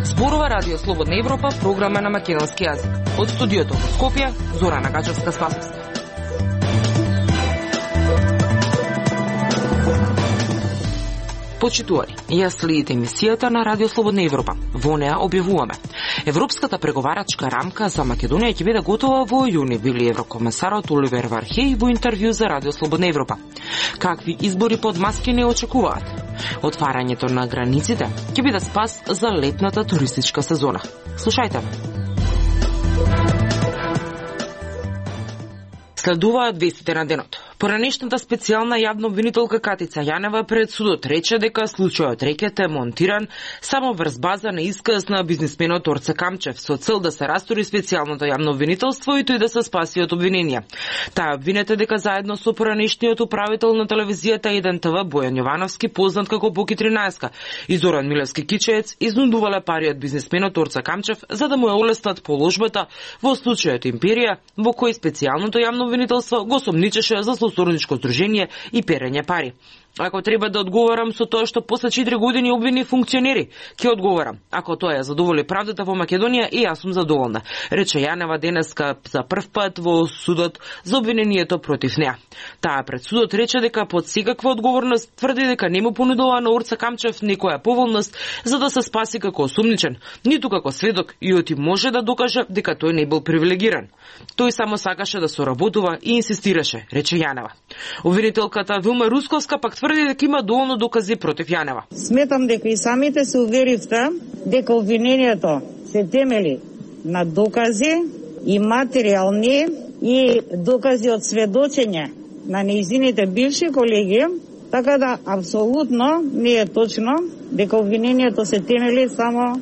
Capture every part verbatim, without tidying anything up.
Зборува Радио Слободна Европа, програма на македонски јазик. Од студиото во Скопје, Зорана Гачевска-Спасовска. Почитувани, ја следите емисијата на Радио Слободна Европа. Во неа објавуваме: Европската преговарачка рамка за Македонија ќе биде готова во јуни, вели еврокомесарот Оливер Вархеј во интервју за Радио Слободна Европа. Какви избори под маски не очекуваат? Отварањето на границите ќе биде спас за летната туристичка сезона. Слушајте. Следуваат вестите на денот. Поранешната специјална јавна обвинителка Катица Јанева пред судот рече дека случајот рекет е монтиран само врз база на исказ на бизнисменот Орце Камчев со цел да се растури специјалното јавно обвинителство и тој да се спаси од обвиненија. Таа обвинета дека заедно со поранешниот управител на телевизијата еден те ве Бојан Јовановски, познат како Боки тринаесет, и Зоран Милевски Кичеец изнудувале пари од бизнисменот Орце Камчев за да му ја олеснат положбата во случајот Империја, во кој специјалното јавно обвинителство го сомничеше за сотрудничко здружение и перење пари. Ако треба да одговорам со тоа што после четири години обвини функционери, ќе одговорам. Ако тоа ја задоволи правдата во Македонија, и јас сум задоволна, рече Јанева денеска за прв пат во судот за обвинението против неа. Таа пред судот рече дека под секаква одговорност тврди дека не му понудува на Орце Камчев некоја поволност за да се спаси како осумничен, ниту како сведок, и оти може да докаже дека тој не бил привилегиран. Тој само сакаше да соработува и инсистираше, рече Јанева. Обвинителката Вилма Русковска пак тврди дека има доволно докази против Јанева. Сметам дека и самите се уверивте дека обвинението се темели на докази и материјални и докази од сведочење на нејзините бивши колеги, така да апсолутно не е точно дека обвинението се темели само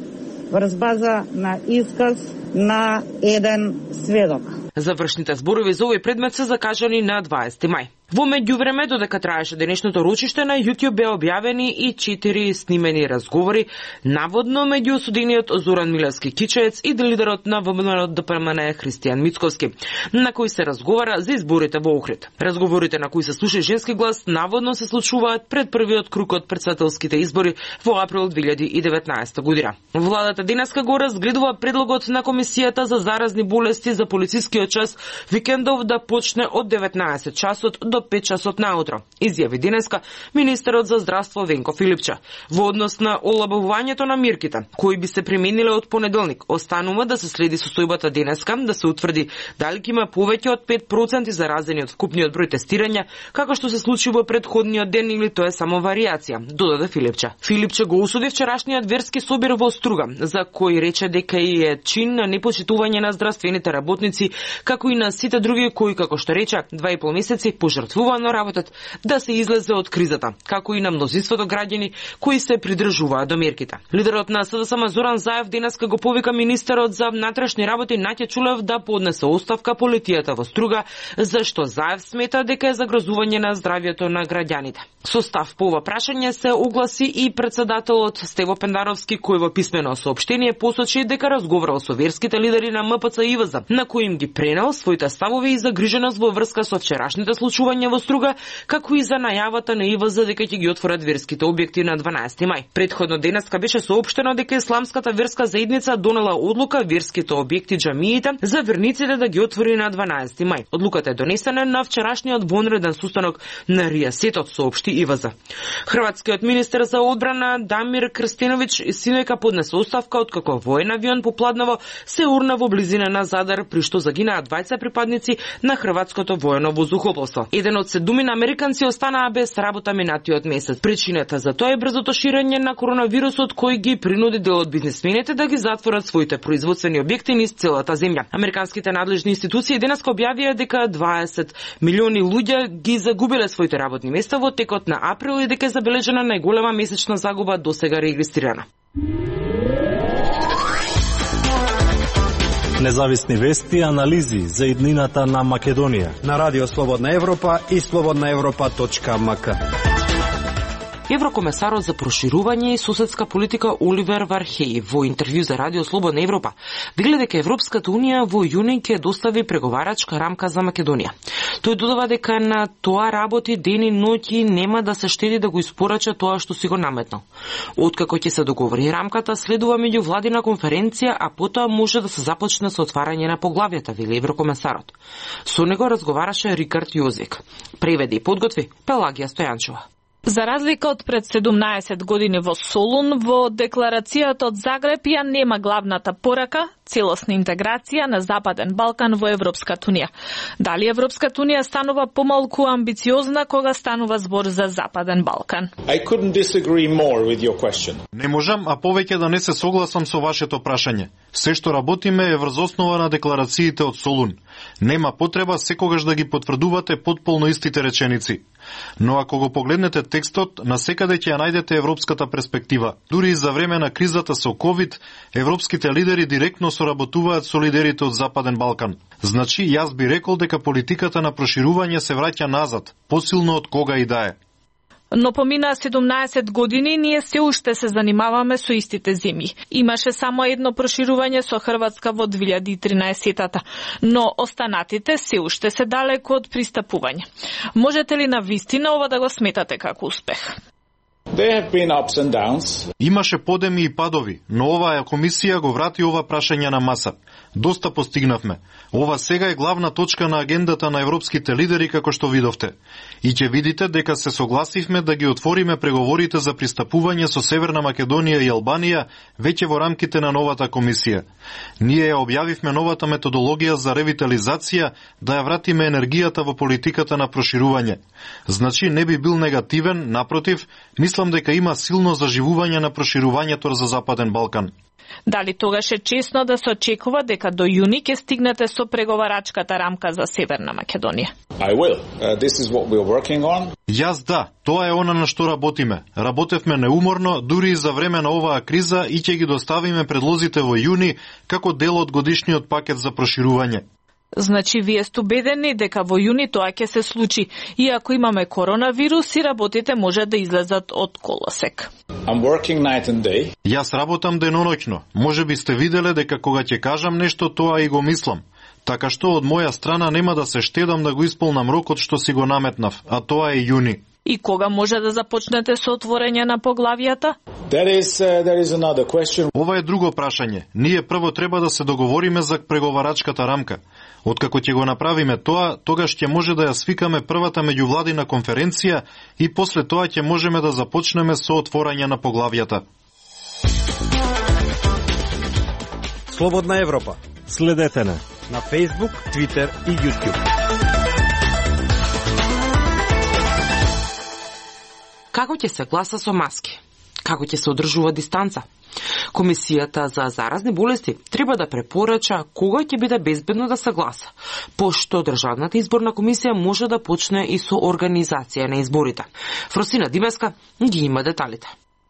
врз база на исказ на еден сведок. Завршните зборови за овој предмет се закажани на дваесети мај. Во меѓувреме, додека траеше денешното ручиште, на YouTube беа објавени и четири снимени разговори, наводно меѓу осудениот Зоран Милевски Кичеец и лидерот на ВМРО Д П М Н Христијан Мицковски, на кои се разговара за изборите во Охрид. Разговорите на кои се слуша женски глас наводно се случуваат пред првиот круг од претседателските избори во април две илјади и деветнаесета година. Владата денеска го разгледува предлогот на Комисијата за заразни болести за полицискиот час викендов да почне од деветнаесет часот до пет часот наутро, изјави денеска министерот за здравство Венко Филипча. Во однос на олабавувањето на мерките, кои би се примениле од понеделник, останува да се следи состојбата денеска, да се утврди дали ќе има повеќе од пет проценти заразени од вкупниот број тестирања, како што се случи во претходниот ден, или тоа е само варијација, додаде Филипча. Филипча го осуди вчерашниот верски собир во Струга, за кој рече дека и е чин на непочитување на здравствените работници, како и на сите други кои, како што рече, два и пол месеци пожртвувано работат да се излезе од кризата, како и на мнозинството граѓани кои се придржуваат до мерките. Лидерот на С Д С М Зоран Заев денеска го повика министерот за внатрешни работи Наќа Чулев да поднесе оставка по летијата во Струга, зашто Заев смета дека е загрозување на здравјето на граѓаните. Со став по ова прашање се огласи и претседателот Стево Пендаровски, кој во писмено соопштение посочи дека разговарал со верските лидери на М П Ц и В З, на кои им ги пренел своите ставови и загриженост во врска со вчерашните случувања во Струга, како и за најавата на И В З дека ќе ги отворат верските објекти на дванаесети мај. Претходно денеска беше соопштено дека исламската верска заедница донела одлука верските објекти џамиите за верниците да ги отвори на дванаесети мај. Одлуката е донесена на вчерашниот вонреден состанок на Ријасетот, соопшти И В З. Хрватскиот министер за одбрана Дамир Крстиновиќ синојка поднесе оставка откако воен авион попладнavo се урна во близина на Задар, при што загинаа двајца припадници на хрватското воено воздухопловство. Еден од седумина американци останаа без работа минатиот месец. Причината за тоа е брзото ширење на коронавирусот, кој ги принуди дел од бизнисмените да ги затворат своите производствени објекти низ целата земја. Американските надлежни институции денеска објавија дека дваесет милиони луѓе ги загубиле своите работни места во текот на април и дека е забележена најголема месечна загуба досега регистрирана. Независни вести и анализи за иднината на Македонија на Радио Слободна Европа и слободна европа точка м к. Еврокомесарот за проширување и соседска политика Оливер Вархеј во интервју за Радио Слободна Европа вели дека Европската унија во јуни ќе достави преговарачка рамка за Македонија. Тој додава дека на тоа работи ден и ноќ и нема да се штеди да го испорача тоа што си го наметнал. Откако ќе се договори рамката, следува меѓувладина конференција, а потоа може да се започне со отварање на поглавјата, вели Еврокомесарот. Со него разговараше Рикард Јозик. Преведи и подготви Пелагија Стојанчова. За разлика од пред седумнаесет години во Солун, во декларацијата од Загреб ја нема главната порака целосна интеграција на Западен Балкан во Европската унија. Дали Европската унија станува помалку амбициозна кога станува збор за Западен Балкан? I couldn't disagree more with your question. Не можам, а повеќе да не се согласам со вашето прашање. Се што работиме е врз основа на декларациите од Солун. Нема потреба секогаш да ги потврдувате потполно истите реченици. Но ако го погледнете текстот, насекаде ќе ја најдете европската перспектива. Дури и за време на кризата со ковид, европските лидери директно соработуваат со лидерите од Западен Балкан. Значи, јас би рекол дека политиката на проширување се враќа назад, посилно од кога и да е. Но помина седумнаесет години, ние се уште се занимаваме со истите земји. Имаше само едно проширување со Хрватска во две илјади и тринаесетта, но останатите се уште се далеко од пристапување. Можете ли на вистина ова да го сметате како успех? There have been ups and downs. Имаше подеми и падови, но оваа комисија го врати ова прашање на маса. Доста постигнавме. Ова сега е главна точка на агендата на европските лидери, како што видовте. И ќе видите дека се согласивме да ги отвориме преговорите за пристапување со Северна Македонија и Албанија веќе во рамките на новата комисија. Ние ја објавивме новата методологија за ревитализација да ја вратиме енергијата во политиката на проширување. Значи не би бил негативен, напротив, мислам дека има силно заживување на проширувањето за Западен Балкан. Дали тогаш е чесно да се очекува дека до јуни ќе стигнете со преговарачката рамка за Северна Македонија? I will. Uh, this is what we're working on. Јас да, тоа е она на што работиме. Работевме неуморно, дури и за време на оваа криза и ќе ги доставиме предлозите во јуни како дел од годишниот пакет за проширување. Значи, вие сте убедени дека во јуни тоа ќе се случи, иако имаме коронавирус и работите може да излезат од колосек. I'm working night and day. Јас работам деноноќно. Може би сте виделе дека кога ќе кажам нешто, тоа и го мислам. Така што од моја страна нема да се штедам да го исполнам рокот што си го наметнав, а тоа е јуни. И кога може да започнете со отворење на поглавјата? That is, uh, that is another question. Ова е друго прашање. Ние прво треба да се договориме за преговарачката рамка. Откако ќе го направиме тоа, тогаш ќе може да ја свикаме првата меѓувладина конференција и после тоа ќе можеме да започнеме со отворање на поглавјата. Слободна Европа. Следете на на Facebook, Twitter и YouTube. Како ќе се гласа со маски? Како ќе се одржува дистанца? Комисијата за заразни болести треба да препорача кога ќе биде безбедно да се гласа, пошто Државната изборна комисија може да почне и со организација на изборите. Фросина Димеска ги има деталите.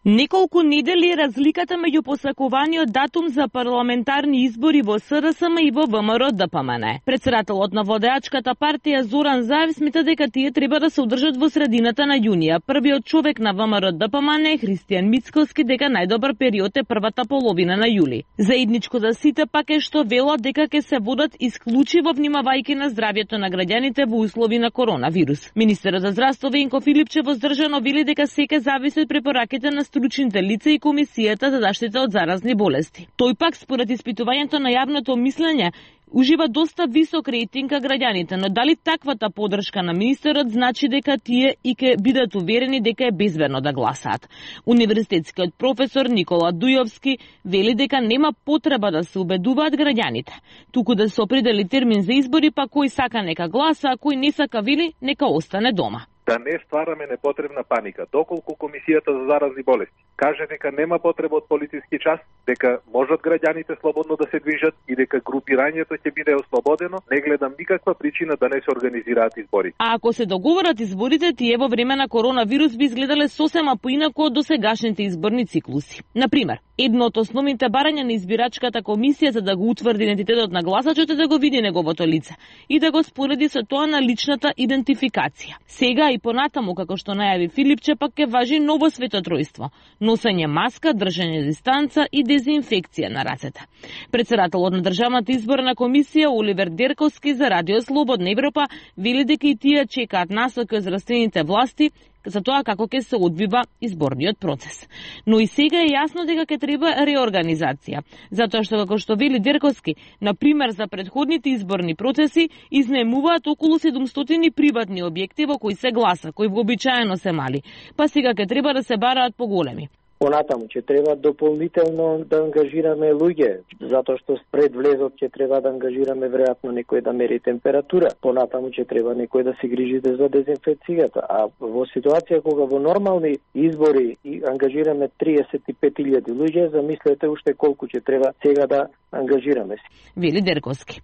Неколку недели е разликата меѓу посакуваниот датум за парламентарни избори во СДСМ и во ВМРО ДПМН. Претседателот на водеачката партија Зоран Заев смета дека тие треба да се одржат во средината на јунија. Првиот човек на ВМРО ДПМН е Христијан Мицкоски дека најдобар период е првата половина на јули. Заедничко за сите пак е што велат дека ќе се водат исклучиво внимавајќи на здравјето на граѓаните во услови на коронавирус. Министерот за здравство Венко Филипче воздржано вели дека секој зависи од препораките на стручните лица и Комисијата за заштита од заразни болести. Тој пак според испитувањето на јавното мислење ужива доста висок рейтинг кај граѓаните, но дали таквата поддршка на министерот значи дека тие и ке бидат уверени дека е безбедно да гласаат? Универзитетскиот професор Никола Дујовски вели дека нема потреба да се убедуваат граѓаните, туку да се определи термин за избори, па кој сака нека гласа, а кој не сака вели нека остане дома. Да не ствараме непотребна паника, доколку Комисијата за заразни болести каже дека нема потреба од полициски час, дека можат граѓаните слободно да се движат и дека групирањето ќе биде ослободено, не гледам никаква причина да не се организираат избори. А ако се договорат изборите, тие во време на коронавирус би изгледале сосема поинаку од досегашните изборни циклуси. Например, едно од основните барања на избирачката комисија за да го утврди идентитетот на гласачот е да го види неговото лице и да го спореди со тоа на личната идентификација. Сега и понатаму, како што најави Филипче, пак ќе важи ново светотројство: носење маска, држање дистанца и дезинфекција на рацете. Председателот на Државната изборна комисија Оливер Дерковски за Радио Слободна Европа вели дека и тие чекаат насоки од здравствените власти за тоа како ќе се одвива изборниот процес. Но и сега е јасно дека ќе треба реорганизација, затоа што, како што вели Дерковски, на пример за претходните изборни процеси изнаемуваат околу седумстотини приватни објекти во кои се гласа, кои вообичаено се мали, па сега ќе треба да се бараат поголеми. Понатаму ќе треба дополнително да ангажираме луѓе, затоа што пред влезот ќе треба да ангажираме веројатно некој да мери температура. Понатаму ќе треба некој да се грижи за дезинфекцијата. А во ситуација кога во нормални избори и ангажираме триесет и пет илјади луѓе, замислете уште колку ќе треба сега да ангажираме. Вели Дерковски.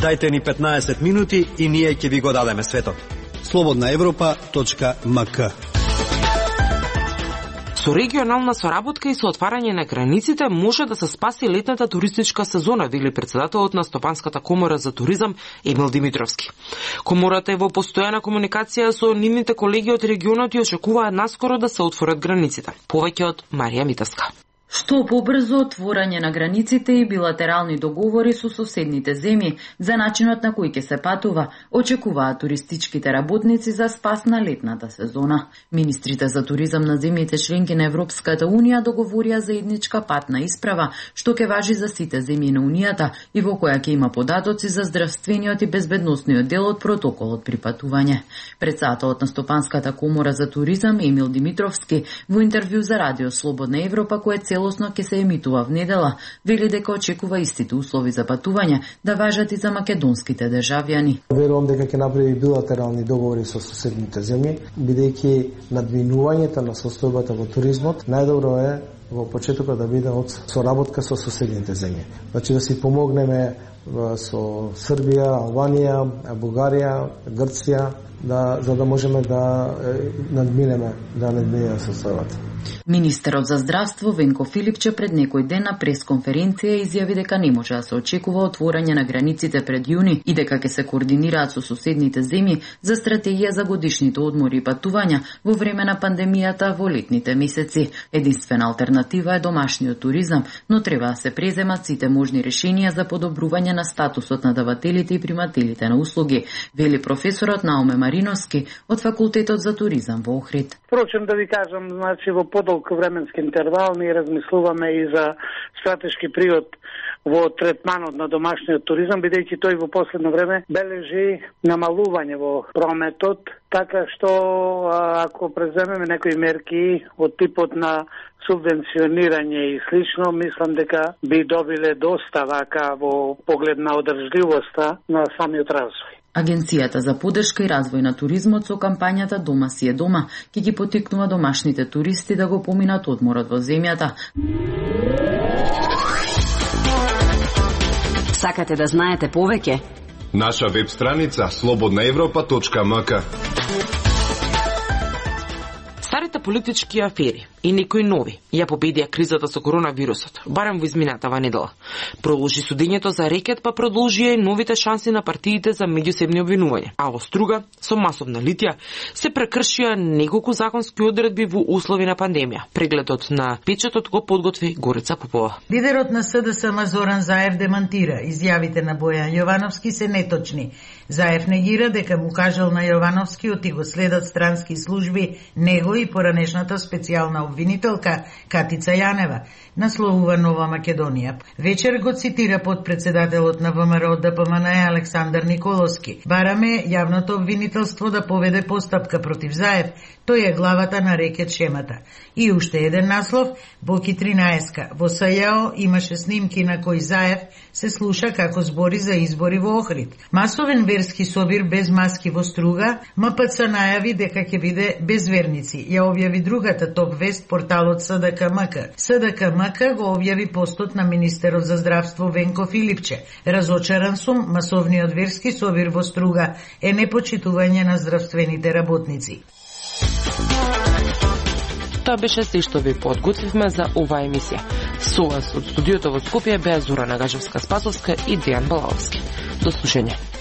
Дајте ни петнаесет минути и ние ќе ви го дадеме светот. слободна европа точка ем ка. Со регионална соработка и со отварање на границите може да се спаси летната туристичка сезона, вели председателот на Стопанската комора за туризам Емил Димитровски. Комората е во постојана комуникација со нивните колеги од регионот и очекуваат наскоро да се отворат границите. Повеќе од Марија Митевска. Што побрзо отворање на границите и билатерални договори со соседните земји за начинот на кој ќе се патува, очекуваат туристичките работници за спас на летната сезона. Министрите за туризам на земјите членки на Европската Унија договорија заедничка патна исправа, што ќе важи за сите земји на Унијата и во која ќе има податоци за здравствениот и безбедносниот дел од протоколот при патување. Председателот на Стопанската комора за туризам Емил Димитровски во интервју за Радио Слободна Европа, кое целосно ќе се емитува в недела, вели дека очекува истите услови за патување да важат и за македонските државјани. Верувам дека ќе направи билатерални договори со соседните земји, бидејќи надвинувањето на состојбата во туризмот најдобро е во почетокот да биде од соработка со соседните земји. Значи да си помогнеме со Србија, Албанија, Бугарија, Грција, да, за да можеме да надминеме, да надминеме состојбата. Министерот за здравство Венко Филипче пред некој ден на пресконференција изјави дека не може да се очекува отворање на границите пред јуни и дека ќе се координираат со соседните земји за стратегија за годишните одмори и патувања во време на пандемијата во летните месеци. Единствена алтернатива е домашниот туризам, но треба да се преземат сите можни решенија за подобрување на статусот на давателите и примателите на услуги, вели професорот Науме Мариновски од Факултетот за туризам во Охрид. Впрочем, да ви кажам, значи во подолг временски интервал ние размислуваме и за стратешки приод во третманот на домашниот туризам, бидејќи тој во последно време бележи намалување во прометот, така што ако преземеме некои мерки од типот на субвенционирање и слично, мислам дека би добиле доста вака во поглед на одржливоста на самиот развој. Агенцијата за поддршка и развој на туризмот со кампањата Дома си е дома ќе ги поттикнува домашните туристи да го поминат одморот во земјата. Сакате да знаете повеќе? Наша веб страница слободна европа точка ем ка. Старите политички афери и некои нови ја победија кризата со коронавирусот, барем во изминатава недела. Продолжи судењето за рекет, па продолжија и новите шанси на партиите за меѓусебни обвинувања. А во Струга, со масовна литија, се прекршија неколку законски одредби во услови на пандемија. Прегледот на печатот го подготви Горица Попова. Лидерот на С Д С М Зоран Заев демантира. Изјавите на Бојан Јовановски се неточни. Заев негира дека му кажал на Јовановски оти го следат странски служби него и поради данешната специјална обвинителка Катица Јанева, насловува Нова Македонија. Вечер го цитира подпредседателот на ВМРО ДПМНЕ Александар Николовски. Бараме јавното обвинителство да поведе постапка против Заев, тој е главата на рекет шемата. И уште еден наслов, Боки тринаесетка. Во СЈО имаше снимки на кои Заев се слуша како збори за избори во Охрид. Масовен верски собир без маски во Струга, МПЦ најави дека ќе биде без верници. Ја објави другата топ вест порталот СДКМК. СДКМК го објави постот на министерот за здравство Венко Филипче. Разочаран сум, масовниот верски собир во Струга е непочитување на здравствените работници. Тоа беше се што ви подготвивме за оваа емисија. Со вас од студиото во Скопје беа Зора Нагажевска-Спасовска и Дејан Балаовски. До слушање.